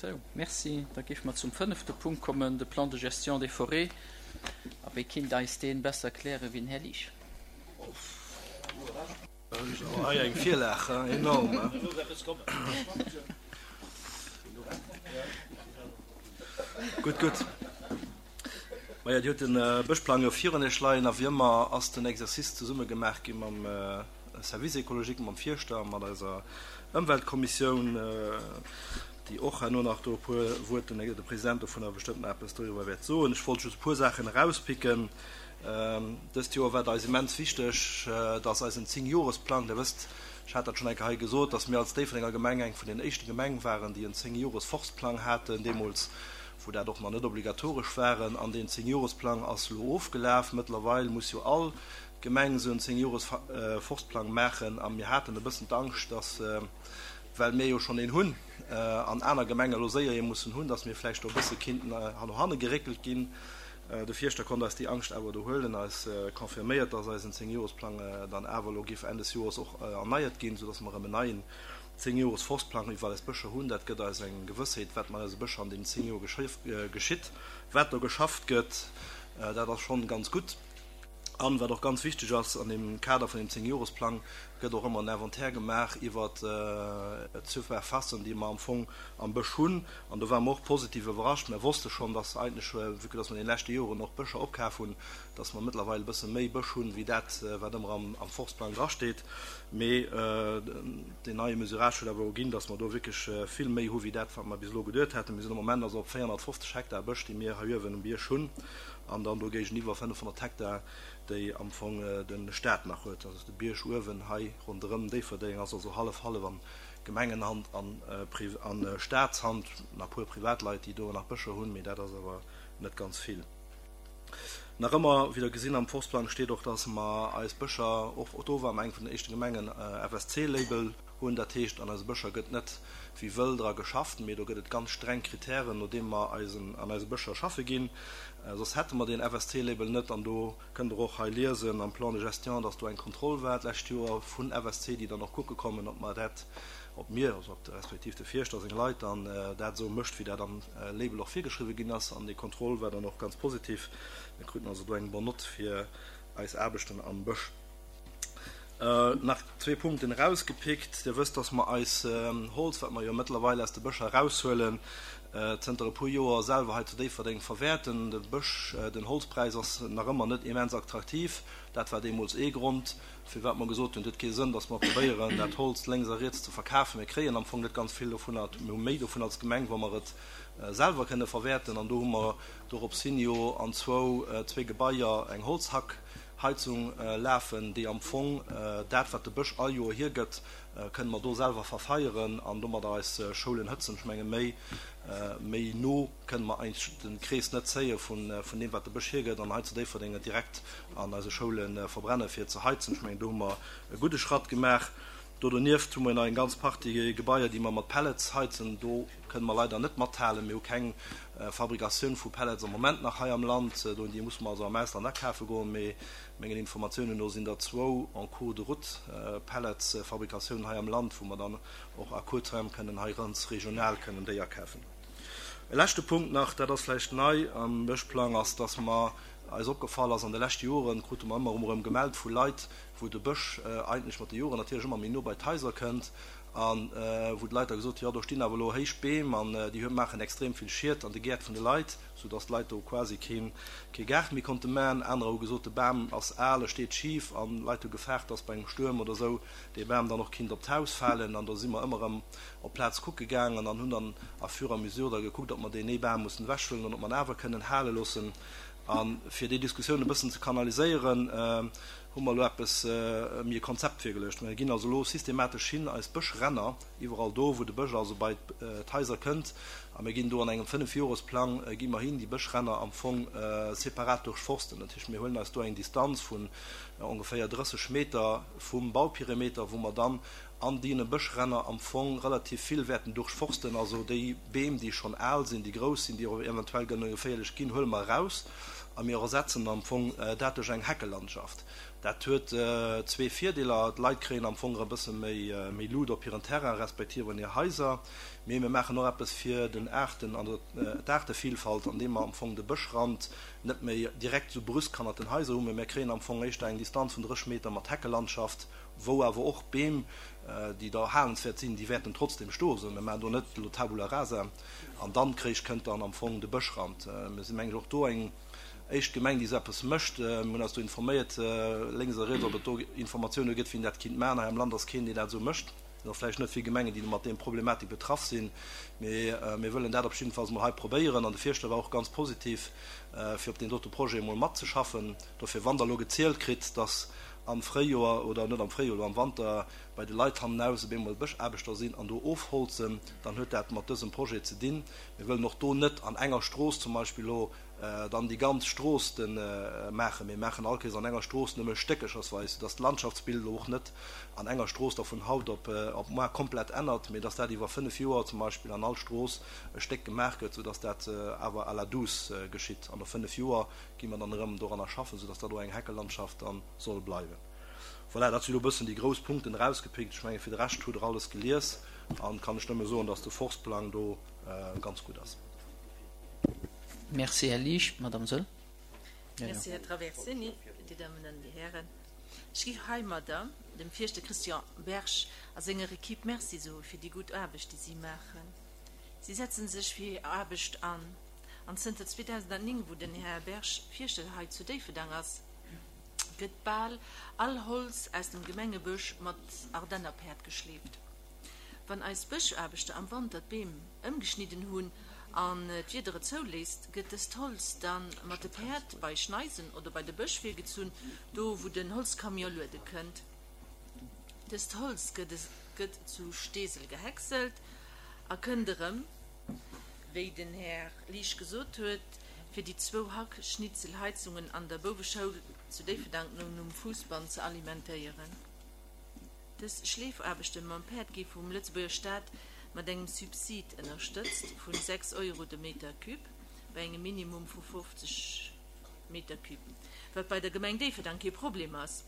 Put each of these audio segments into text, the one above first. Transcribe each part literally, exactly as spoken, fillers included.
Sou, merci. Da géife mer zum fënnefte Punkt kommen, de Plan de gestion des forêts. A wie kinnt eis dee besser erklären wéi den Här Liesch? Hei eng Virlag, enorm. Gutt, gutt. Maja, Dir hutt de Bëschplang jo virun Iech leien a wéi ëmmer ass den Exercice zesumme gemaach gi mam Service écologique, mam Fierschter a mat eiser Ëmweltkommissioun, déi och herno nach do e puer Wuert, de President dovunner bestëmmt nach eppes doriwwer wäert soen. Ech wollt just e puer Saachen erauspicken. Dëst Joer war et eis immens wichteg, dass eisen Zéngjoresplang, Dir wësst, ech hat dat schonn eng Kéier hei gesot, dass mir als Déifferdenger Gemeng eng vun den éischte Gemeng waren, déi en Zéngjores-Forstplang haten deemools, wou dat och nach net obligatoresch waren. An deen Zéngjoresplang ass elo ofgelaf. Mëttlerweil muss jo all Gemeng esou en Zéngjores-Forstplang maachen. A mir haten e bëssen d'Angscht, dass, well mir jo schonn een hunn an aner Gemenge elo séier ee mussen hunn, dass mir vläicht do e bësse kinnten no hanne geréckelt ginn. De Fierschter konnt eis déi Angscht awer do huelen, eis confirméiert, dass eisen Zéngjoresplang dann awer elo géif Enn des Joers och erneiert ginn, soudass mer erëm en neien Zéngjores-Forstplang iwwer eis Bëscher hunn. Dat gëtt eis eng Gewëssheet, wat mat eise Bëscher an deenen zéng Joer geschitt, wat do geschafft gëtt. Dat ass schonn ganz gutt. An, wat och ganz wichteg ass, an deem Kader vun deem Zéngjoresplang gëtt och ëmmer en Inventaire gemaach iwwer d'Surfacen, déi mer am Fong am Bësch hunn. An do ware mer och positiv iwwerrascht. Mer wosste schonn, dass eigentlech, vue que dass mer an deene leschte Joren och Bëscher opkaf hunn, dass mer mëttlerweil e bësse méi Bësch hunn, wéi dat, wat ëmmer am Forstplang drasteet. Mee deen neie Mesurage huet awer erginn, dass mer do wierklech vill méi hu wéi dat, wat mer bis elo geduet haten. Mir sinn am Moment also op véierhonnertfofzeg Hektar Bësch, déi mir hei uewen um Bierg hunn. An dann do géigeniwwer fënnefhonnert Hektar, déi am Fong de Staat nach huet. Also de Bierg uewen hei ronderëm Déifferdeng ass also hallef-hallef an Gemengenhand an a Staatshand. Nach e puer Privatleit, déi do nach Bëscher hunn, mee dat ass awer net ganz vill. Nach ëmmer, wéi Der gesinn am Forstplang steet och, dass mer eis Bëscher, och do ware mer eng vun den éischte Gemengen, F S C Label hunn. Dat heescht, an eise Bëscher gëtt net wéi wëll dra geschafft, mee do gëtt et ganz streng Kritären, no deem mer eisen, an eise Bëscher schaffe ginn. Soss hätte mer deen F S C Label net. An do kënnt Der och hei liesen am Plan de gestion, dass do eng Kontroll war d'lescht Joer vun F S C, déi dann och kucke kommen, ob mer dat, ob mir, also ob respektiv de Fierschter seng Leit dann dat esou mécht, wéi dat am Label och virgeschriwwen ginn ass. An déi Kontroll war dann och ganz positiv. Mir kruten also do eng bonne Note fir eis Aarbechten am Bësch. Nach zwee Punkten erausgepickt. Dir wësst, dass mer eis Holz, wat mer jo mëttlerweil aus de Bëscher eraushuelen, zënter e puer Joer selwer hei zu Déifferdeng verwäerten. De Bësch, den Holzpräis ass nach ëmmer net immens attraktiv. Dat war deemools ee Grond, firwat mer gesot hunn, et huet kee Sënn, dass mer probéieren, dat Holz lénks a riets ze verkafen. Mir kréien am Fong net ganz vill dovunner. Mir hu méi dovun als Gemeng, wa mer et selwer kënne verwäerten. An do hu mer dorops hin jo an zwou, zwee Gebaier eng Holzhackheizung lafen, déi am Fong dat, wat de Bësch all Joer hiergëtt, kënne mer do selwer verfeieren an domadder eis Schoulen hëtzen. Ech menge méi, méi no kënne mer eigentlech de Krees net zéie vun, vun deem, wat de Bësch hiergëtt, an hei zu Déifferdeng et direkt an eise Schoule verbrenne fir ze heizen. Ech mengen, do hu mer e gudde Schratt gemaach. Do donieft hu mer nach eng ganz Partie Gebaier, déi mer mat Pellets heizen. Do kënne mer leider net mathalen. Mir hu keng Fabrikatioun vu Pellets am Moment nach hei am Land. Do, déi musse mer also am Ausland akafe goen. Mee mengen Informatiounen no sinn der zwou en cours de route, Pelletsfabrikatiounen hei am Land, wou mer dann och à court terme kënnen hei ganz regional kënnen déi akafen. E leschte Punkt nach, dat ass vläicht nei am Bëschplang, ass, dass mer eis opgefall ass, an de leschte Joren krute mer ëmmer erëm gemellt vu Leit, wou de Bësch eigentlech mat de Joren natierlech ëmmer méi no bei d'Haiser kënnt a wou d'Leit da gesot hunn, jo do stinn awer elo héich Beem an déi maachen extrem vill Schied an de Gäert vun de Leit, soudass d'Leit do quasi keen kee Gaart méi konnte maachen. Anerer hu gesot, de Bam ass al, e steet schif an d'Leit hu gefaart, dass bei engem Stuerm oder esou dee Bam dann och kinnt op d'Haus falen. An do si mer ëmmer erëm op d'Plaz kucke gaangen an hunn dann à fur et à mesure da gekuckt, ob mer deen ee Bam mussen ewechhuelen oder ob mer en awer kënnen hale loossen. A fir déi Diskussioun e bëssen ze kanaliséieren, hu mer elo eppes méi e Konzept virgeluecht. Mir ginn also elo systematesch hin eis Bëschränner, iwwerall do, wou de Bësch also bei d'Haiser kënnt, a mir ginn do an engem Fënnefjoresplang gi mer hin, déi Bëschränner am Fong separat duerchforsten. Dat heescht, mir huelen eis do eng Distanz vun ongeféier drësseg Meter vum Bauperimeter, wou mer dann an deene Bëschränner am Fong relativ vill wäerten duerchforsten. Also déi Beem, déi schonn al sinn, déi grouss sinn, déi och eventuell kënne geféierlech ginn, huele mer eraus a mir ersetzen am Fong dat duerch eng Heckelandschaft. Dat huet zwee Virdeeler, D'Leit kréien am Fong e bësse méi méi Luut op hiren Terrain respektiv an hir Haiser, mee mir maachen och eppes fir den Aarten an d'Aartevielfalt, andeem mer am Fong de Bëschrand net méi direkt esou brüsk hannert den Haiser hunn, mee mir kréien am Fong éischter eng Distanz vun drësseg Meter mat Heckelandschaft, wou awer och Beem, déi da erhalenswäert sinn, déi wäerten trotzdem stoen. Sou, mir maachen do net elo Tabula rasa an dann kréich kënnt dann am Fong de Bëschrand. Mir sinn, mengen ech, och do eng éischt Gemeng, déi esou eppes mécht. Mir hunn eis do informéiert, lénks a riets, ob et do Informatioune gëtt, wien dat kinnt maachen. Hei am Land ass keen, deen dat esou mécht. Et sinn och vläicht net vill Gemengen, déi mat deem Problematik betraff sinn. Mee mir wëllen dat op jiddefalls emol hei probéieren. An de Fierschter war och ganz positiv, fir op deen dote Projet emol matzeschaffen. Dofir, wann Der elo gezielt kritt, dass am Fréijoer, oder net am Fréijoer, elo am Wanter, bei de Leit hannenaus op eemol Bëschaarbechter sinn an do ofholzen, dann huet dat mat dësem Projet ze dinn. Mir wëllen och do net an enger Strooss zum Beispill elo dann déi ganz Strooss de maachen. Mir maachen all Kéiers an enger Strooss nëmme stéckechersweis, soudass d'Landschaftsbild elo och net an enger Strooss da vun haut op op muar komplett ännert, mee dass dat iwwer fënnef Joer zum Beispill an all Strooss e Stéck gemaach gëtt, soudass dat awer à la douce geschitt. An no fënnef Joer gi mer dann erëm doranner schaffen, soudass dat och eng Heckelandschaft dann soll bleiwen. Voilà, dat si elo e bëssen déi grouss Punkten erausgepickt. Ech menge fir de Rescht hutt Der alles gelies an kann ech nëmme soen, dass de Forstplang do ganz gutt ass. Merci, Här Liesch. Madame Soll. Merci, Här Traversini. Dir Dammen an Dir Hären, ech géif heimadder dem Fierschter Christian Berg a senger Equipe Merci soe fir déi gutt Aarbecht, déi si maachen. Si setze sech fir hir Aarbecht an, an zënter zweedausendnéng, wou den Här Berg Fierschter hei zu Déifferdang ass, gëtt bal all Holz aus dem Gemengebësch mat Ardennerpäerd geschleeft. Wann eis Bëschaarbechter am Wanter d'Beem ëmgeschnidden hunn an d'Wieder et zouléisst, gëtt dëst Holz da mat de Päerd bei Schneisen oder bei de Bësch virgezunn, do wou den Holzcamion luede kënnt. Dëst Holz gëtt zu Steesel gehäckselt a kënnt erëm, wéi den Här Liesch gesot huet, fir déi zwou Hackschnitzelheizungen an der Bouweschoul zu Déifferdang nom Fuussband ze alimentéieren. Dës Schleefaarbechte mam Päerd gi vum Lëtzebuerger Staat mat engem Subsid ënnerstëtzt vu sechs Euro de Meter cube bei engem Minimum vu fofzeg Meter cube, wat bei der Gemeng Déifferdang kee Problem ass,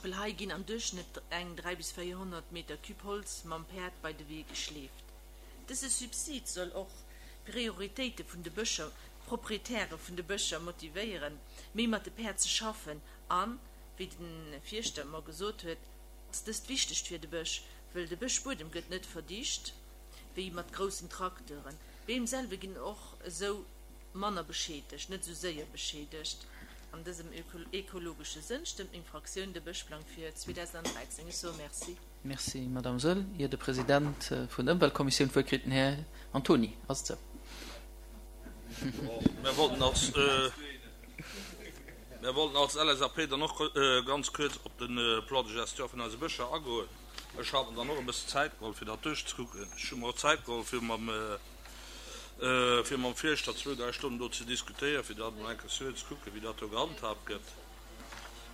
well hei ginn am Duerchschnëtt eng dräi bis véierhonnert Meter cube Holz mam Päerd bei de Wee geschleeft. Dëse Subsid soll och d'Prioritéite vun de Bëscher, d'Proprietäre vun de Bëscher motivéieren, méi mat de Päerd ze schaffen an, wéi de Fierschter mer gesot huet, ass dëst wichteg fir de Bësch, wëll de Bëschbuedem gëtt net verdicht wéi mat groussen Trakteuren. D'Beem selwer ginn och esou manner beschädegt, net esou séier beschädegt. An dësem ökologesche Sënn stëmmt meng Fraktioun de Bëschplang fir zweedausendräizéng. Ech soe Merci. Merci, Madame Soll. Ier de President vun der Ëmweltkommissioun d'Wuert kritt, den Här Antony, ass et esou? Mir wollten als, mir wollten als L S A P dann och ganz kuerz op de Plan de gestion vun eise Bëscher agoen. Ech hat mer dann och e bëssen Zäit geholl, fir dat duerchzekucken. Ech hu mer och Zäit geholl, fir mam, fir mam Fierschter zwou, dräi Stonnen do ze diskutéieren, fir dat emol eng Kéier ze kucken, wéi dat do gehandhaabt gëtt.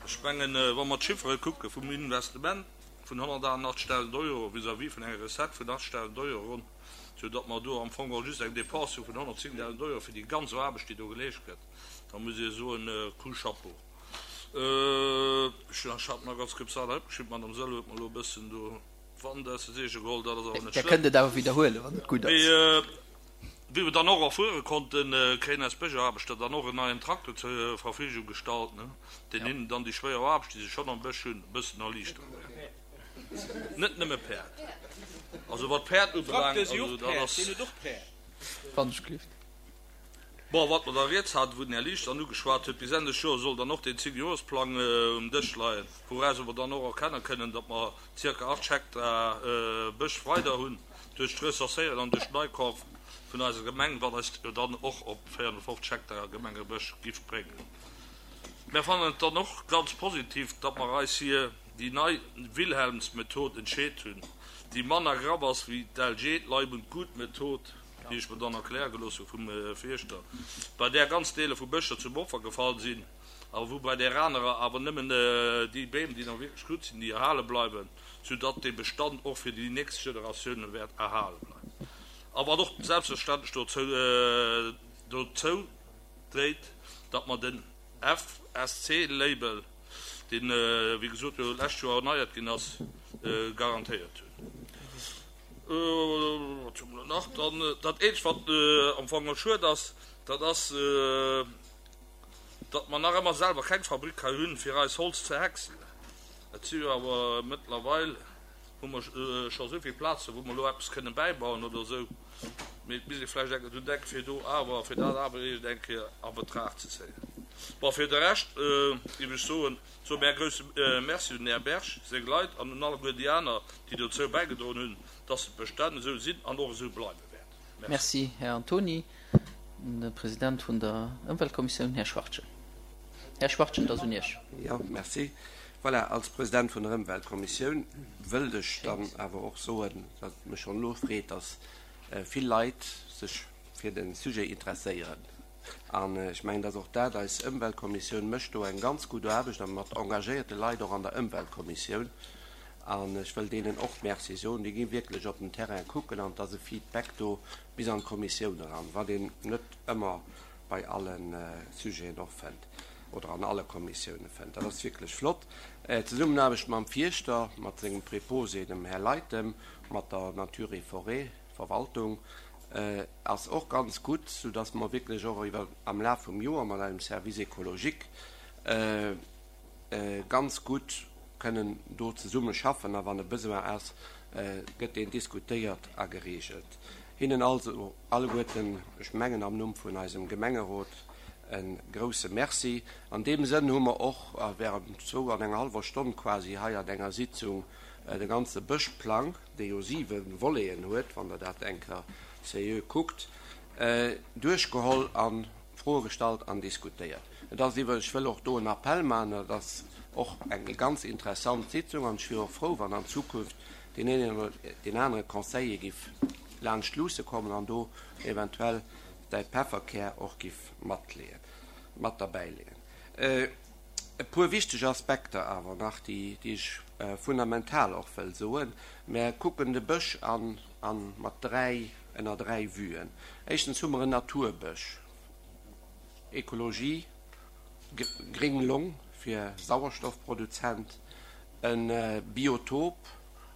Ech mengen, wa mer d'Chiffere kucke vum Investissement vun honnertachtundachtzegdausend Euro vis-à-vis vun enger Recette vun achtzegdausend Euro ronn, soudatt mer do am Fong och just eng Dépense hu vun honnertzéngdausend Euro fir déi ganz Aarbecht, déi do geleescht gëtt, da muss ee soen, Coup chapeau. Ech hat mer ganz kuerz dat hei opgeschriwwen, d'Madame Soll huet mer elo e bëssen do d'Wand aus de Seege geholl, dat ass awer net Der schlëmm. Kënnt et awer widderhuelen, wann et gutt ass. Mee wéi mer dann och erfuere konnten, kréien eis Bëschaarbechter dann och en neien Traktor zur Verfügung gestallt, deen hinnen dann déi schwéier Aarbecht, déi se schonn am Bësch hunn, e bëssen erliichtere wäert. Net nëmme Päerd. Also wat Päerd ubelaangt, also dat ass. Wann ech gelift. Bon, wat mer da riets haten, wou den Här Liesch dann ugeschwat huet, bis Enn des Joers soll dann och deen Zéngjoresplang um Dësch leien, wouraus mer dann och erkenne kënnen, datt mer zirka achtzeg Hektar Bësch weider hunn duerch d'Recenséieren an duerch d'Neikaf vun eiser Gemeng, wat eis jo dann och op véierhonnertfofzeg Hektar Gemengebësch giff bréngen. Mir fannen et dann och ganz positiv, datt mer eis fir déi nei Wilhelmsmethod entscheet hunn, déi manner graff ass wéi d'L G, d'Leib und Gut-Method, déi ech mer dann erkläre gelooss hu vum Fierschter, bei där ganz Deeler vu Bëscher zum Opfer gefall sinn, a wou bei där anerer awer nëmmen déi Beem, déi nach wierklech gutt sinn, déi erhale bleiwen, soudatt dee Bestand och fir déi nächst Generatioune wäert erhale bleiwen. A wat och selbstverständlech dozou dozou dréit, datt mer den F S C Label, deen, wéi gesot, jo d'lescht Joer erneiert ginn ass, garantéiert hunn. Wat hu mer nach? Dann dat eenzegt, wat am Fong och schued ass, dat ass, datt mer nach ëmmer selwer keng Fabrik hei hunn, fir eis Holz ze häckselen. Et si jo awer mëttlerweil, hu mer scho esou vill Plazen, wou mer elo eppes kënnen bäibauen oder esou, mee et misst ee vläicht eng Kéier drun denken, fir do awer, fir dat awer iergend eng Kéier a Betracht ze zéien. Bon, fir de Rescht géif ech soen, soe mir e grouse Merci un den Här Berg, seng Leit an un alleguer déi aner, déi dozou bäigedroen hunn, dass d'Bestänn esou sinn an och esou bleiwe wäerten. Merci. Merci, Här Antony. De President vun der Ëmweltkommissioun, Här Schwachtgen. Här Schwachtgen, et ass un Iech. Jo, merci. Voilà, als President vun der Ëmweltkommissioun wëllt ech dann awer och soen, datt et mech schonn elo freet, datt vill Leit sech fir de Sujet interesséieren. An ech mengen, datt och dat, eis Ëmweltkommissioun mécht do eng ganz gutt Aarbecht a mat engagéierte Leit och an der Ëmweltkommissioun. An ech wëll deenen och Merci soen. Déi gi wierklech op den Terrain kucken an et ass e Feedback do bis an d'Kommissioun eran, wat een net ëmmer bei alle Sujeten och fënnt oder an alle Kommissioune fënnt. Dat ass wierklech flott. D'Zesummenaarbecht mam Fierschter, mat sengem Preposé, dem Här Leitem, mat der Nature et Forêt Verwaltung ass och ganz gutt, soudass mer wierklech och iwwer am Laf vum Joer mat eisem Service écologique ganz gutt kënnen do zesumme schaffen a wann e Besoin ass, gëtt deen diskutéiert a geregelt. Hinnen also alleguerten, ech mengen am Numm vun eisem Gemengerot, e grouse Merci. An deem Sënn hu mer och während zwou an enger hallwer Stonn quasi hei an enger Sitzung de ganze Bëschplang, dee jo siwe Voleten huet, wann Der dat eng Kéier seriö kuckt, duerchgeholl a Froe gestallt an diskutéiert. Et ass iwwer, ech wëll och do en Appell maachen, et ass och eng ganz interessant Sitzung an ech wier och frou, wann an Zukunft deen een oder deen anere Conseiller giff laanscht luusse kommen an do eventuell säi Pefferkär och giff matleeën, mat derbäileeën. E puer wichteg Aspekter awer nach, déi, déi ech fundamental och wëll soen. Mär kucken de Bësch an, an mat dräi, ënner dräi Vuen. Éischtens hu mer en Naturbësch, Ekologie, gréng Long fir Sauerstoffproduzent, e Biotop,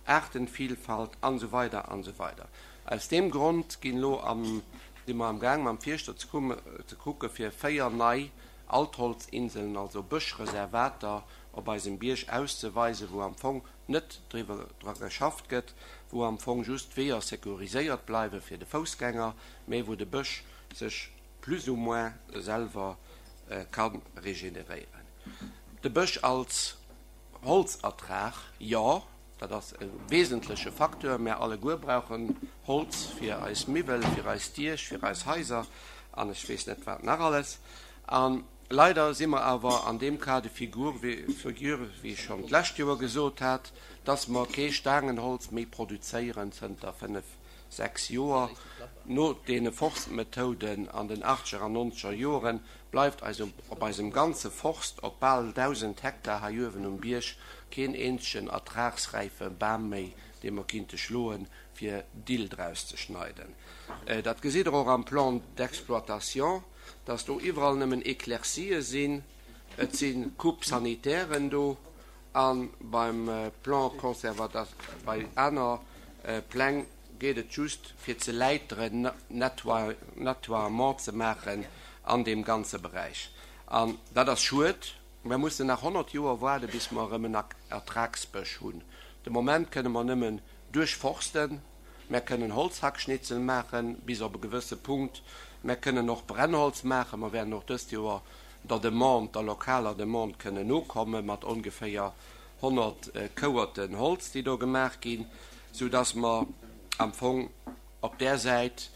Aartenvielfalt an esou weider an esou weider. Aus deem Grond ginn elo am, si mer amgaang mam Fierschter ze ze kucke fir véier nei Altholzinseln, also Bëschreservater op eisem Bierg auszeweisen, wou am Fong net driwwer dra geschafft gëtt, wou am Fong just d'Weeër securiséiert bleiwe fir de Foussgänger, mä wou de Bësch sech plus ou moins selwer ka regeneréieren. De Bësch als Holzertrag, jo, dat ass e wesentleche Facteur. Mär alleguer brauchen Holz fir eis Miwwel, fir eis Diech, fir eis Haiser an ech weess net wat nach alles. A leider si mer awer an deem Cas de figure, wéi ech schonn d'lescht Joer gesot hat, dass mer kee Staangenholz méi produzéieren zënter fënnef, sechs Joer. No deene Forstmethoden an den achtzeger an nonzeger Joren bleift eis op eisem ganze Forst op bal dausend Hektar hei uewen um Bierg keen eenzegen ertragsräife Bam méi, dee mer kinnte schloen, fir Dill draus ze schneiden. Dat gesitt Der och am Plan d'exploitation, dass do iwwerall nëmmen Éclaircië sinn, et si Coupes sanitairen do a beim Plan conservata-, bei aner Pläng geet et just fir ze läiteren, Nettoiement ze maachen an deem ganze Beräich. An dat ass schued. Mer mussen nach honnert Joer waarde bis mer erëm en Ertragsbësch hunn. De Moment kënne mer nëmmen duerchforsten, mer kënnen Holzhackschnitzel maachen bis op e gewësse Punkt, mer kënnen och Brennholz maachen, mer wäerten och dëst Joer der Demande, der lokaler Demande kënnen nokomme mat ongeféier honnert Kouerten Holz, déi do gemaach ginn, soudass mer am Fong op där Säit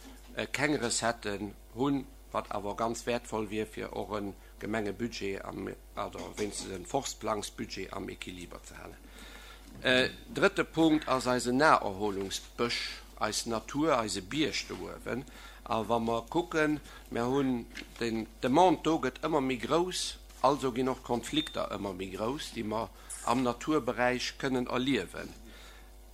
keng Recetten hunn, wat awer ganz wäertvoll wier, fir och e Gemengebudget am, oder wéinstens e Forstplangsbudget am Equiliber ze halen. Drëtte Punkt ass eisen Naherholungsbësch, eis Natur, eise Bierg do uewen. A wa mer kucken, mer hunn den, d'Demande do gëtt ëmmer méi grouss, also ginn och d'Konflikter ëmmer méi grouss, déi mer am Naturberäich kënnen erliewen.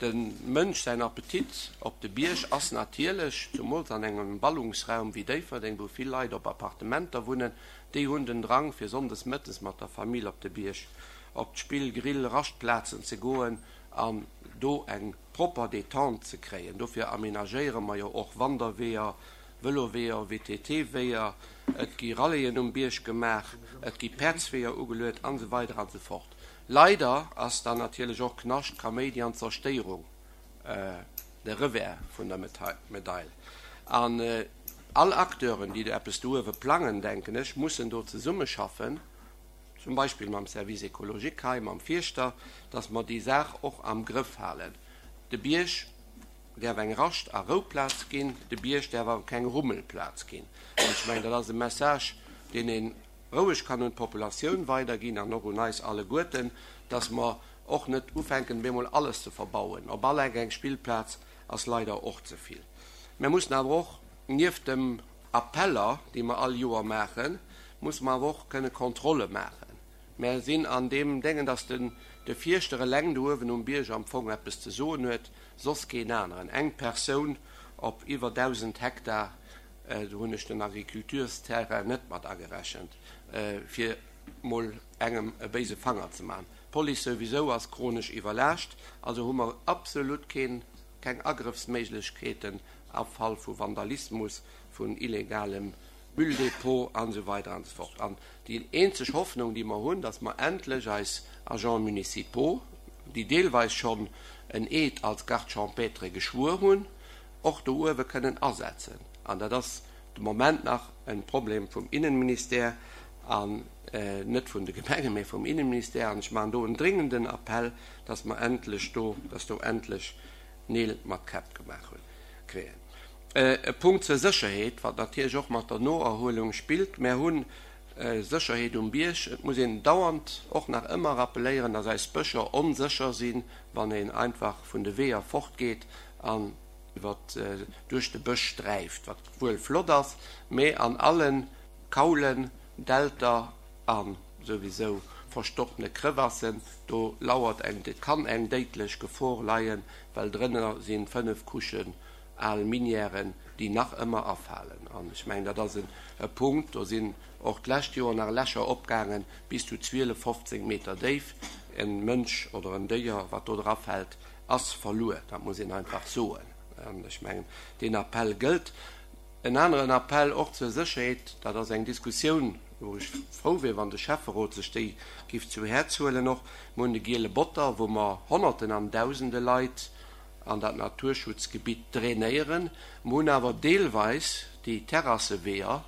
Dem Mënsch säin Appetit op de Bierg ass natierlech, zumools an engem Ballungsraum wéi Déifferdeng, wou vill Leit op Appartementer wunnen, déi hunn den Drang fir sonndes mëttes mat der Famill op de Bierg op d'Spill-, Grill-, Raschtplazen ze goen an do eng propper Détente ze kréien. Dofir amenagéiere mer jo och Wanderweeër, Vëloweeër, VTT-Weeër, et gi Rallyen um Bierg gemaach, et gi Päerdsweeër ugeluet an esou weider an esou fort. Leider ass dann natierlech och Knascht, Kaméidi an Zerstéierung de Revers vun der Medail. An all Acteuren, déi do eppes do uewe plangen, denken ech, mussen do zesummeschaffen, zum Beispill mam Service écologique hei, mam Fierschter, dass mer déi Saach och am Grëff halen. De Bierg däerf eng Rascht a Rouplaz ginn, de Bierg däerf awer keng Rummelplaz ginn. An ech mengen, dat ass e Message, deen ee roueg kann un d'Populatioun weiderginn an och un eis alleguerten, dass mer och net ufänken, bemol alles ze verbauen. Op all Eck eng Spillplaz ass leider och ze vill. Mer mussen awer och nieft dem Appeller, déi mer all Joer maachen, musse mer awer och kënne Kontrolle maachen. Mer sinn an deem Déngen, dass den de Fierschter eleng do uewen um Bierg am Fong eppes ze soen huet, soss keen aneren. Eng Persoun op iwwer dausend Hektar, do hunn ech den Agriculturesterrain net mat agerechent, fir mol engem e béise Fanger ze maachen. D'Police souwisou ass chronesch iwwerlaascht, also hu mer absolut keen, keng Agrëffsméiglechkeeten am Fall vu Vandalismus, vun illegalem Mülldepot an esou weider an esou fort. An déi eenzeg Hoffnung, déi mer hunn, dass mer endlech eis Agents municipaux, déi deelweis schonn en Eed als Garde champêtre geschwuer hunn, och do uewe kënnen asetzen. An dat ass de Moment nach e Problem vum Innenministère an net vun de Gemengen, mä vum Innenministère. An ech maachen do en dringenden Appell, dass mer endlech do, dass do endlech Neel mat Käpp gemaach hunn, kréien. E Punkt zur Sécherheet, wat natierlech och mat der Noerhuelung spillt. Mär hu Sécherheet um Bierg. Et muss een dauernd och nach ëmmer rappeléieren, dass eis Bëscher onsécher sinn, wann een einfach vun de Weeër fortgeet an iwwer duerch de Bësch sträift, wat wuel flott ass, mee an alle Kaulen, Dälter a souwisou verstoppene Crevassen, do lauert eng, kann eng déidlech Gefor leien, well drënner si fënnef Couchen al Minièren, déi nach ëmmer afalen. An ech mengen, dat ass e Punkt, do sinn och d'lescht Joer nach Lächer opgaangen, bis zu zwielef, fofzéng Meter déif. E Mënsch oder en Déier, wat do drafält, ass verluer. Dat muss een einfach soen. An ech mengen, deen Appell gëllt. En aneren Appell och zur Sécherheet, dat ass eng Diskussioun, wou ech frou wier, wann de Schäfferot sech déi giff zu Häerz huelen och. Mir hunn de Giele Botter, wou mer Honnerten an Dausende Leit an dat Naturschutzgebitt drainéieren. Mer hunn awer deelweis déi Terrasseweeër,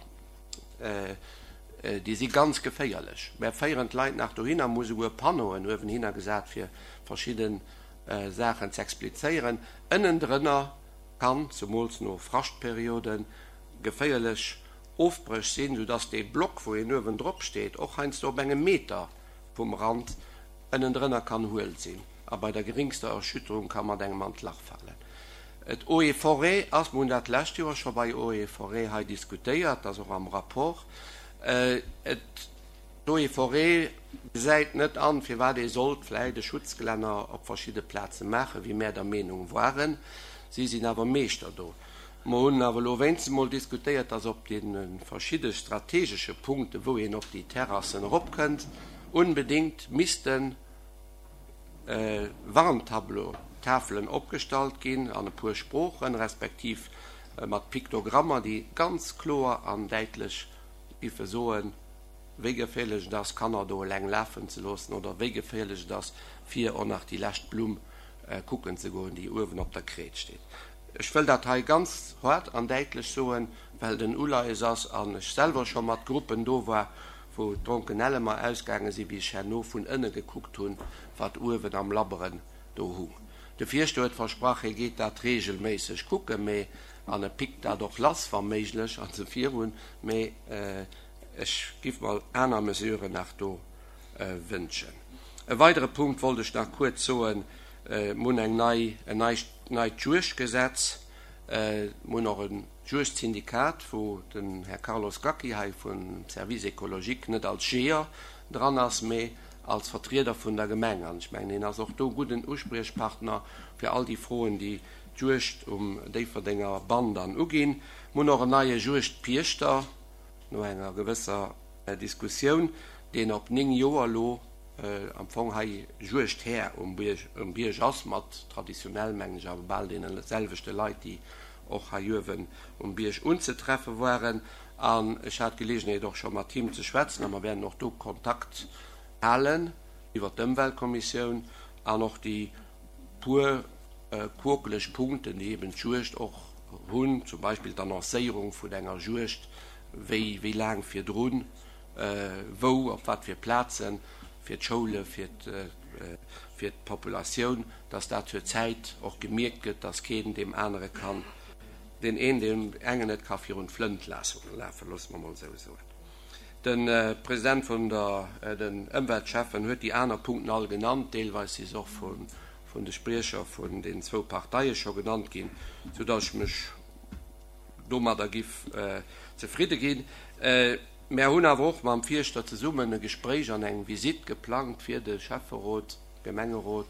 déi si ganz geféierlech. Mer féieren d'Leit nach dohinner, mer hu souguer Panneauen uewenhinner gesat, fir verschidde Saachen z'explizéieren. Ënnendrënner kann, zemools no Fraschtperioden, geféierlech Ofbréch sinn, soudass dee Block, wou een uewendrop steet, och heiansdo op engem Meter vum Rand ënnendrënner kann huel sinn a bei der geringster Erschütterung ka mat engem an d'Lach falen. Et Eaux et Forêts ass, mer hunn dat d'lescht Joer scho bei Eaux et Forêts hei diskutéiert, ass och am Rapport, et D'Eaux et Forêts gesäit net an, firwat ee sollt vläit e Schutzgelänner op verschidde Plaze maachen, wéi mär der Meenung waren. Si sinn awer Meeschter do. Mer hunn awer elo wéinstens emol diskutéiert, dass op deene verschidde strategesche Punkten, wou een op déi Terrassen eropkënnt, unbedéngt misste Warntableau, Tafelen opgestallt ginn an e puer Sproochen, respektiv mat Piktogrammer, déi ganz kloer an däitlech giffe soen, wéi geféierlech et ass, Kanner do eleng lafen ze loossen oder wéi geféierlech et ass, fir och nach déi lescht Blumm kucken ze goen, déi uewen op der Kreet steet. Ech wëll dat hei ganz haart an däitlech soen, well et en Uleies ass an ech selwer scho mat Gruppen do war, wou d'Dronkenelle mer ausgaange sinn, wéi ech herno vun ënne gekuckt hunn, wat uewen am Labberen do hung. De Fierschter huet versprach, hie geet dat reegelméisseg kucken, mee, an e pickt dat och lass, wa méiglech, a sou virun, mee ech giff mer aner Mesuren nach do wënschen. E weidere Punkt wollt ech nach kuerz soen, Mir hunn eng nei, en neit, neit Juegdgesetz. Mir hunn och e Juegdsyndikat, wou den Här Carlos Gacki hei vum Service écologique net als Jeeër dran ass, mee als Vertrieder vun der Gemeng. An ech mengen, hien ass och do gudden Uspriechpartner fir all déi Froen, déi d'Juegd um Déifferdenger Bann dann uginn. Mir hunn och en neie Juegdpiechter, no enger gewësser Diskussioun, deen op néng Joer elo am Fong hei Juegdhär um Bierg, um Bierg ass, mat traditionell, mengen ech, awer bal deene selwechte Leit, déi och hei uewen um Bierg unzetreffe waren. An ech hat d'Geleegenheet och scho mat him ze schwätzen a mer wäerten och do Kontakt halen iwwert d'Ëmweltkommissioun an och déi puer quokeleg Punkten, déi eben d'Juegd och hunn, zum Beispill d'Annoncéierung vun enger Juegd, wéi, wéi laang virdrun, wou, op wat fir Plazen, fir d'Schoule, fir d'Populatioun, dass dat zur Zäit och gemierkt gëtt, dass keen deem anere kann, deen een deem engen net ka virun d'Flënt lafen, loosse mer emol esou soen. De President vun der, den Ëmweltschäffen huet déi aner Punkten all genannt, deelweis si se och vun de Spriecher vun den zwou Parteie scho genannt ginn, soudass ech mech domadder giff zefridde ginn. Mär hunn awer och mam Fierschter zesummen e Gespréich an eng Visitt geplangt fir de Schäfferot, Gemengerot.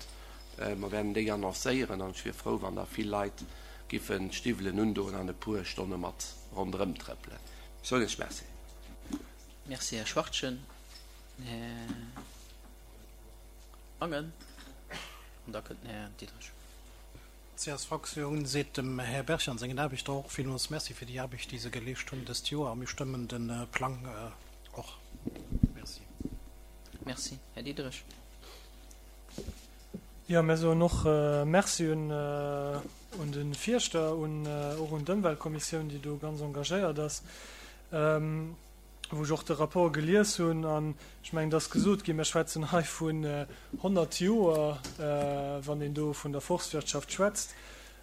Mer wäerten déi annoncéieren an ech wier frou, wann da vill Leit giffen d'Stiwwelen undoen an e puer Stonne mat ronderëm trëppelen. Ech soen Iech Merci. Merci, Här Schwachtgen. Här Mangen an da kënnt den Här Diderich. D'C S V-Fraktioun seet dem Här Berg an sengen Aarbechter och villmools Merci fir déi Aarbecht, déi se geleescht hunn dëst Joer, a mir stëmmen de Plang och. Merci. Merci. Här Diderich. Jo, mir soen och Merci un un de Fierschter, un och un d'Ëmweltkommissioun, déi do ganz engagéiert ass, wou ech och de Rapport gelies hunn. An ech mengen, et ass gesot ginn, mir schwätzen hei vun honnert Joer, wann een do vun der Forstwirtschaft schwätzt.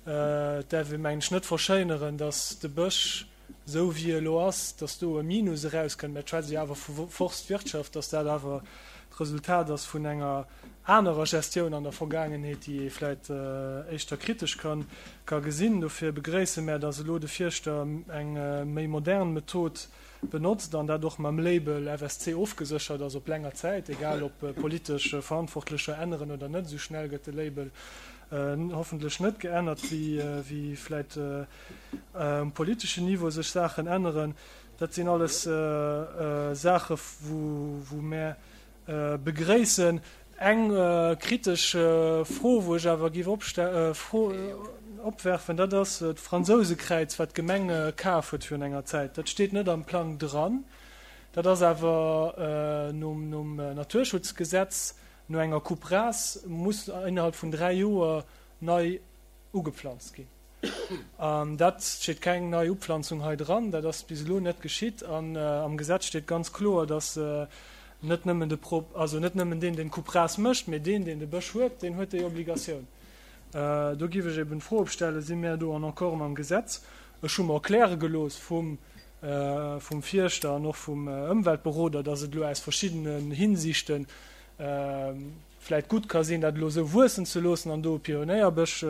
Et däerf ee, mengen ech, net verschéineren, datt de Bësch, esou wéi e elo ass, datt do e Minus erauskënnt. Mä et schwätzt ee jo awer vu Forstwirtschaft, datt dat awer d'Resultat ass vun enger anerer Gestioun an der Vergaangenheet, déi ee vläit éischter kritesch ka gesinn. Dofir begréisse mär, datt elo de Fierschter eng méi modern Method benotzt an dat och mam Label F S C ofgeséchert ass op länger Zäit, egal ob politesch Verantwortlecher änneren oder net. Esou schnell gëtt de Label hoffentlech net geännert, wéi vläit um politeschen Niveau sech Saachen änneren. Dat sinn alles Saache wou mär begréissen. Eng kritesch Fro, wou ech awer géif opwerfen, dat ass d'Fransousekräiz, wat d'Gemeng kaf huet virun enger Zäit. Dat steet net am Plang dran. Dat ass awer nom Naturschutzgesetz, no enger Coupe rase muss innerhalb vun dräi Joer nei ugeplanzt ginn. An dat steet keng nei Upflanzung hei dran. Dat ass bis elo net geschitt. An am Gesetz steet ganz kloer, dass net nëmmen de Pro, also net nëmmen deen, deen d'Coupe rase mécht, mee deen, deen de Bësch huet, deen huet déi Obligatioun. Do giff ech eben d'Fro opstellen, Si mär do en accord mam Gesetz? Ech hu mer erkläre gelooss vum, vum Fierschter an och vum Ëmweltberoder, dass et elo aus verschiddenen Hinsichten vläit gutt ka sinn, dat elo esou wuessen ze loossen an do e Pionéierbësch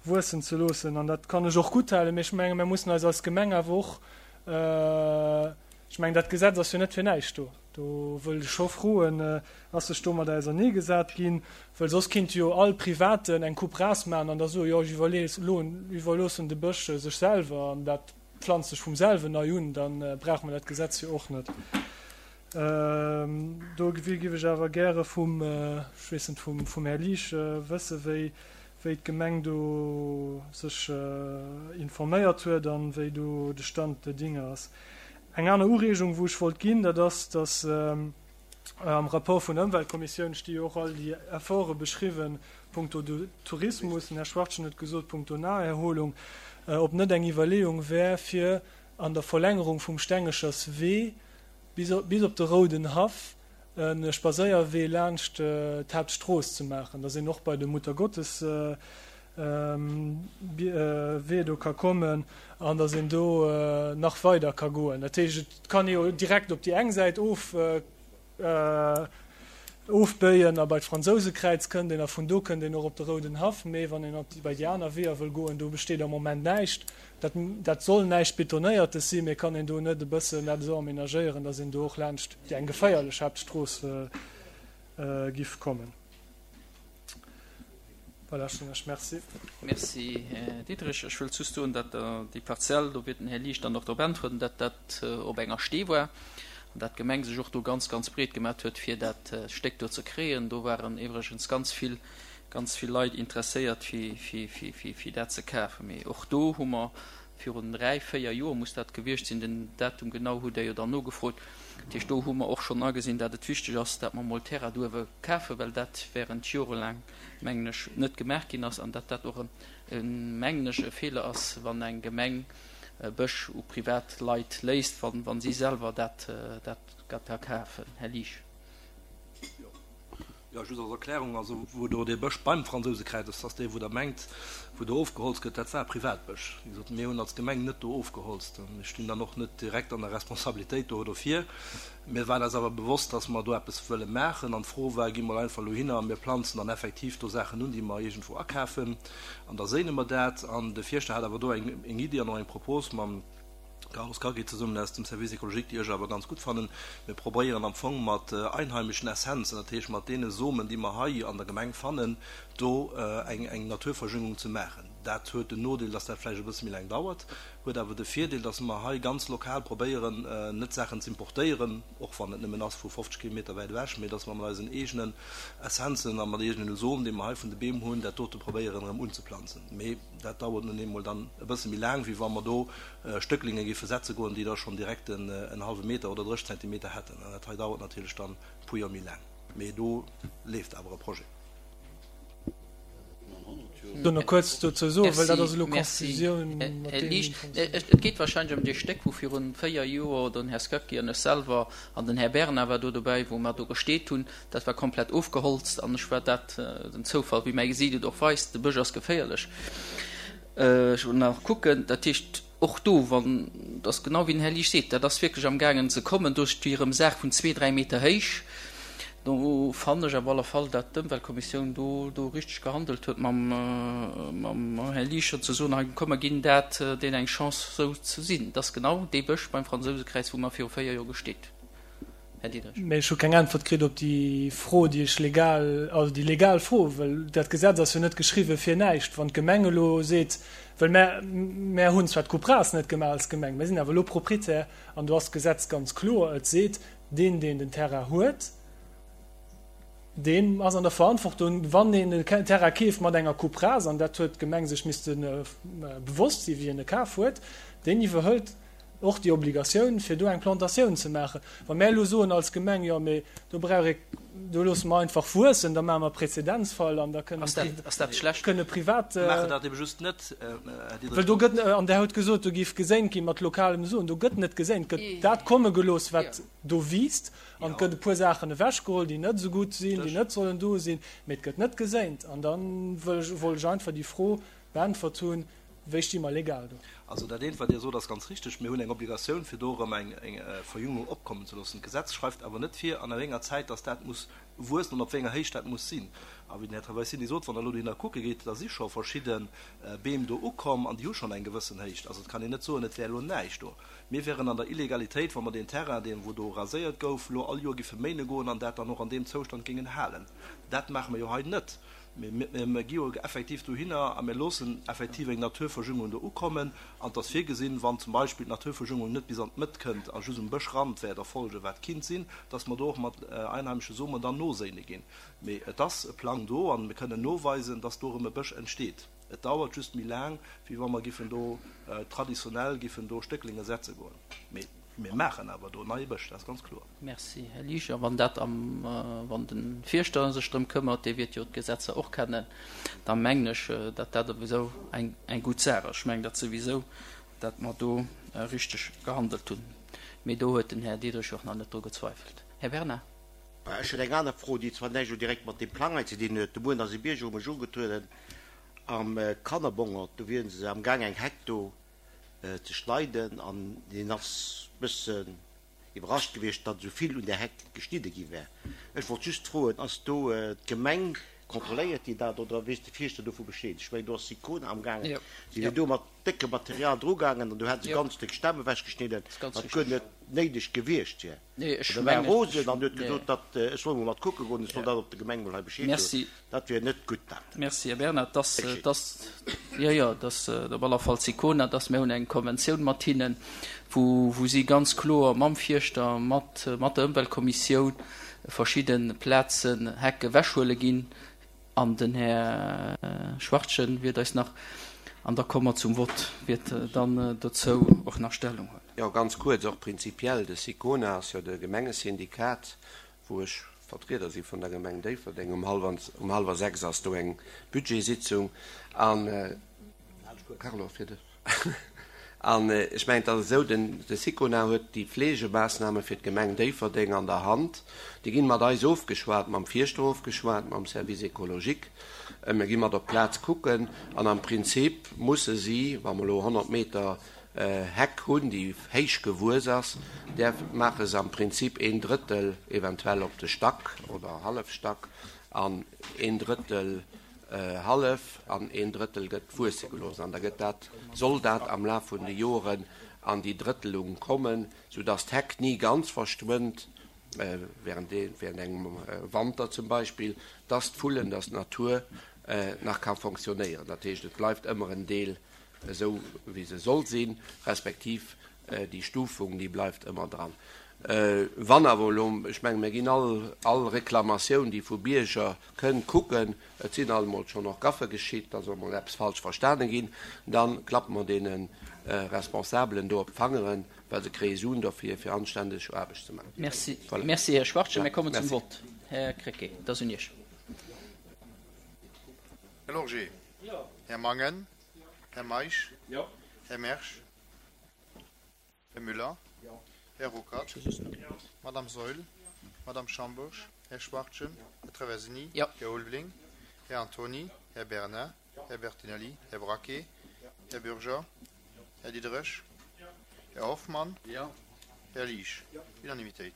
wuessen ze loossen. An dat kann ech och gutthalen. Mee ech menge mir mussen eis als Gemeng awer och, ech mengen dat Gesetz ass jo net fir näischt do, do wëll ech scho froen, ass sech domadder auserneegesat ginn? Well soss kinnt jo all Privaten eng Coupe rase maachen an da soen, jo ech iwwerloossen de Bësch sech selwer an dat pflanzt sech vum selwen nei un, da brauche mer dat Gesetz jo och net. Do géif ech awer gäre vum, ech weess net, vum Här Liesch wëssen, wéi wéi d'Gemeng do sech informéiert huet an wéi do de Stand der Dinge ass. Eng aner Ureegung, wou ech wollt ginn, dat ass, dass am Rapport vun der Ëmweltkommissioun sti jo och all déi Efforte beschriwwen punkto Tourismus, den Här Schwachtgen huet gesot, punkto Naherholung, ob net eng Iwwerleeung wär, fir an der Verlängerung vum Stengecherswee bis op de Rouden Haff e Spadséierwee laanscht d'Haaptstrooss ze maachen, dass een och bei de Muttergotteswee do ka kommen an dass een do nach weider ka goen. Dat heescht, et kann ee jo direkt op déi eng Säit of ofbéien a bei d'Fransousekräiz kënnt een a vun do kënnt een och op de Rouden Haff. Mee wann een op bei déi aner Weeër wëll goen, do besteet am Moment näischt. Dat, dat soll näischt Betonéiertes sinn, mee kann een do net e bëssen dat esou aménagéieren, datt een do och laanscht déi eng geféierlech Haaptstrooss giff kommen? Voilà, ech soen Iech Merci. Merci, Här Diderich. Ech wëllt just soen, datt déi Parzell, do wäert den Här Liesch dann och drop äntweren, datt dat op enger Stee war. An dat d'Gemeng sech och do ganz, ganz breet gemat huet, fir dat Stéck do ze kréien. Do waren iwwregens ganz vill, ganz vill Leit interesséiert, fir, fir, fir, fir, fir dat ze kafen. Mee och do hu mer virun dräi, véier Joer muss dat gewiescht sinn, den Datum genau hutt Der jo dann nogefrot, dat heescht, do hu mer och schonn agesinn, dat et wichteg ass, dat mer emol Terrain do uewe kafen, well dat während jorelaang, mengen ech, net gemaach ginn ass an dat dat och en, mengen ech, e Feeler ass, wann eng Gemeng Bësch u privat Leit léisst, wa si selwer dat da kafen. Här Liesch. Jo, just als Erklärung, also wou do dee Bësch beim Fransousekräiz ass, ass dee wou Der mengt, wou do ofgeholzt gëtt, dat war Privatbësch. Wéi gesot, mir hunn als Gemeng net do ofgeholzt. Mir stinn dann och net direkt an der Responsabilitéit do dofir. Mir waren eis awer bewosst, dass mer do eppes wëlle maachen an d'Fro war, gi mer einfach elo hinner a mir planzen dann effektiv do Saachen un, déi mer iergendwou akafen an da séine mer dat. An de Fierschter hat awer do eng Iddi an och eng Propos mam Carlos Cagri zesummen aus dem Service écologique, déi ech awer ganz gutt fannen. Mir probéieren am Fong mat einheimischen Essenzen, dat heescht mat deene Somen, déi mer hei an der Gemeng fannen, do eng Naturverjüngung ze maachen. Dat huet den Nodeel, dass dat vläicht e bësse méi laang dauert, huet awer de Virdeel, dass mer hei ganz lokal probéieren, net Saachen ze importéieren, och wann et nëmmen ass vu fofzeg Kilometer wäit ewech, mee dass mer mat eisen eegenen Essenzen a mat eegene Som, dee mer hei vun de Beem hunn, dat dote probéieren erëm unzeplanzen. Mee dat dauert nun eemol dann e bësse méi laang, wéi wa mer do Stöcklinge géife setze goen, déi da schonn direkt en hallwe Meter oder drécheg Zentimeter hätten. An dat hei dauert natierlech dann e puer Joer méi laang. Mee do leeft awer e Projet. Do nach kuerz dozou soen, well dat ass elo Confusioun mat Här deem Liesch, et geet wahrscheinlech ëm dee Stéck, wou virun véier Joer den Här Scacchi an ech selwer an den Här Bernard war do dobäi, wou mer do gesteet hunn. Dat war komplett ofgeholzt an ech war dat, den Zoufall, wéi mäi Gesiit et och weist, de Bësch ass geféierlech. Ech wollt nach kucken, dat heescht, och do, wann, dat ass genau wéi den Här Liesch seet, dat ass wierklech amgaangen ze kommen, do sti erëm Saach vun zwee, dräi Meter héich. Do fannen ech op alle Fall, dat d'Ëmweltkommissioun do do richteg gehandelt huet mam mam Här Liesch, ze soen, hei komm mer ginn dat deenen eng Chance sou ze sinn. Dat ass genau dee Bësch beim Fransousekräiz, wou mer viru véier Joer gesteet. Här Diderich. Mee ech hu keng Äntwert kritt op déi Fro, déi ech legal, also déi legal Fro, well dat Gesetz ass jo net geschriwwen fir näischt. Wann d'Gemeng elo seet, well mär, mär hunn zwar d'Coupe rase net gemaach als Gemeng, mär sinn awer elo Proprietär an do ass d'Gesetz ganz kloer, et seet, deen, deen den Terrain huet, deen ass an der Verantwortung, wann een e Terrain keeft mat enger Coupe rase, an dat huet d'Gemeng sech misste bewosst sinn, wéi en e kaf huet, deen iwwerhëlt och déi Obligatioun, fir do eng Plantatioun ze maachen. Wa mär elo soen als Gemeng, jo, mee do brauch ee, do loosse mer einfach wuessen, da maache mer e Präzedenzfall an da kënnen Ass dat, ass dat schlecht? kënne privat. Mir maachen dat ebe just net, Här Diderich. Well do gëtt, an Der hutt gesot, do géif geséint gi mat lokalem Soen, do gëtt net geséint, gëtt dat komme gelooss, wat do wiisst, an et gëtt e puer Saachen ewechgeholl, déi net esou gutt sinn, déi net sollen do sinn, mee et gëtt net geséint. An da wëll ech, wollt ech einfach déi Fro beäntwert hunn, Wéi sti mer legal do? Also dat eent, wat Dir sot, ass ganz richteg. Mir hunn eng Obligatioun, fir do erëm eng Verjüngung opkommen ze loossen. D'Gesetz schreift awer net vir, an wéi enger Zäit dass dat muss wuessen an op wéi enger Héicht dat muss sinn. A wéi den Här Traversini sot, wann Der elo dohinner kucke gitt, da si scho verschidde Beem do ukomm an déi hu schonn eng gewëssen Héicht. Also et kann een net soen, et wär elo näischt do. Mir wären an der Illegalitéit, wa mer deen Terrain, deen wou do raséiert gouf, elo all Joer giffe méine goen an dat dann och an deem Zoustand géingen halen. Dat maache mer jo hei net. Mee mir gi jo effektiv dohinner a mir loossen effektiv eng Naturverjüngung do ukommen. An et ass virgesinn, wann zum Beispill d'Naturverjüngung net bis an d'Mëtt kënnt a just um Bëschrand wäert erfolgen, wat kinnt sinn, dass mer do och mat einheimesche Somen dann noséine ginn. Mee et ass e Plang do an mir kënnen noweisen, dass do erëm e Bësch entsteet. Et dauert just méi laang, wéi wa mer giffen do traditionell giffen do Stécklinge setze goen. Mee mir maachen awer do neie Bësch, dat ass ganz kloer. Merci, Här Liesch. A wann dat am, wann de Fierschter sech drëm këmmert, dee wiert jo d'Gesetzer och kennen, da mengen ech, datt dat souwisou eng, eng gutt Saach ass. Ech mengen dat souwisou, datt mer do richteg gehandelt hunn. Mee do huet den Här Diderich och nach net dru gezweifelt. Här Bernard. Ech hätt eng aner Fro, déi zwar näischt elo direkt mat deem Plang hei ze dinn huet. De Mueren ass e Bierger u mech ugetrueden am Kannerbongert. Do wieren se amgaang eng Heck do ze schneiden an hien ass bëssen iwwerrascht gewiescht, datt esou vill un där Heck geschnidde gi wär. Ech wollt just froen, ass do d'Gemeng Kontrolléiert Dir dat oder weess de Fierschter dovu Bescheed? Ech mengen, do ass Sicona amgaangen. Si wier do mat déckem Material drugaangen an do hätte se ganz déck Stämm ewechgeschnidden, wat guer net néideg gewiescht wier. An da war e rosen an huet gesot, datt ech soll mol mat kucke goen, ech soll dat op der Gemeng mol hei Bescheed soen. Dat wier net gutt. Dat. Merci, Här Bernard. Dass, dass, jo, jo, dass op aller Fall Sicona, dass mir hunn eng Konventioun mat hinnen, wou, wou si ganz kloer mam Fierschter, mat, mat der Ëmweltkommissioun verschidde Plazen Heck ewechhuele ginn. An den Här Schwachtgen wiert eis nach, an da komme mer zum Vott, wiert dann dozou och nach Stellung huelen. Jo, ganz kuerz, och prinzipiell, de SICONA ass jo de Gemengesyndikat, wou ech Vertrieder si vun der Gemeng Déifferdeng. Um hallwer sechs ass do eng Budgetsitzung an, Carlo, fir dech. An ech mengen, et ass esou, den, de Sicona huet déi Fleegemaassname fir d'Gemeng Déifferdeng an der Hand. Déi ginn mat eis ofgeschwat, mam Fierschter ofgeschwat, mam Service écologique. Mir gi mat op d'Plaz kucken an am Prinzip musse si, wa mer elo honnert Meter Heck hunn, déi héich gewuess ass, däerf, maache se am Prinzip een Drëttel eventuell op de Stack oder Hallefstack an een Drëttel, hallef an een Drëttel gëtt wuesse gelooss an da gëtt dat, soll dat am Laf vun de Joren an déi Drëttelung kommen, soudass d'Heck ni ganz verschwënnt, während während engem Wanter zum Beispill, dass d'Vullen, dass d'Natur nach ka fonctionnéieren. Dat heescht, et bleift ëmmer en Deel esou wéi se soll sinn, respektiv déi Stufung, déi bleift ëmmer dran. Wann awer elo, ech menge mir ginn all all Reklamatioun, déi vu Bierger kënnt, kucken, et sinn alt emol schonn och Gaffe geschitt, da soll mol eppes falsch verstane ginn, da klappe mer deene Responsabelen do op d'Fangeren, well se kréie Suen dofir, fir anständeg Aarbecht ze maachen. Merci. Voilà. Merci, Här Schwachtgen. Ja, Mir kommen zum merci. Vott. Här Krecké, et ass un Iech. Här Lorgé. Här Mangen. Här Meisch. Här Mersch. Här Müller. Här Ruckert. Madame Saeul. Madame Schambourg. Här Schwachtgen. Här Traversini. Här Ulveling. Här Antony. Här Bernard. Här Bertinelli. Här Braquet. Här Bürger. Här Diderich. Här Hoffmann. Här Liesch. Unanimitéit.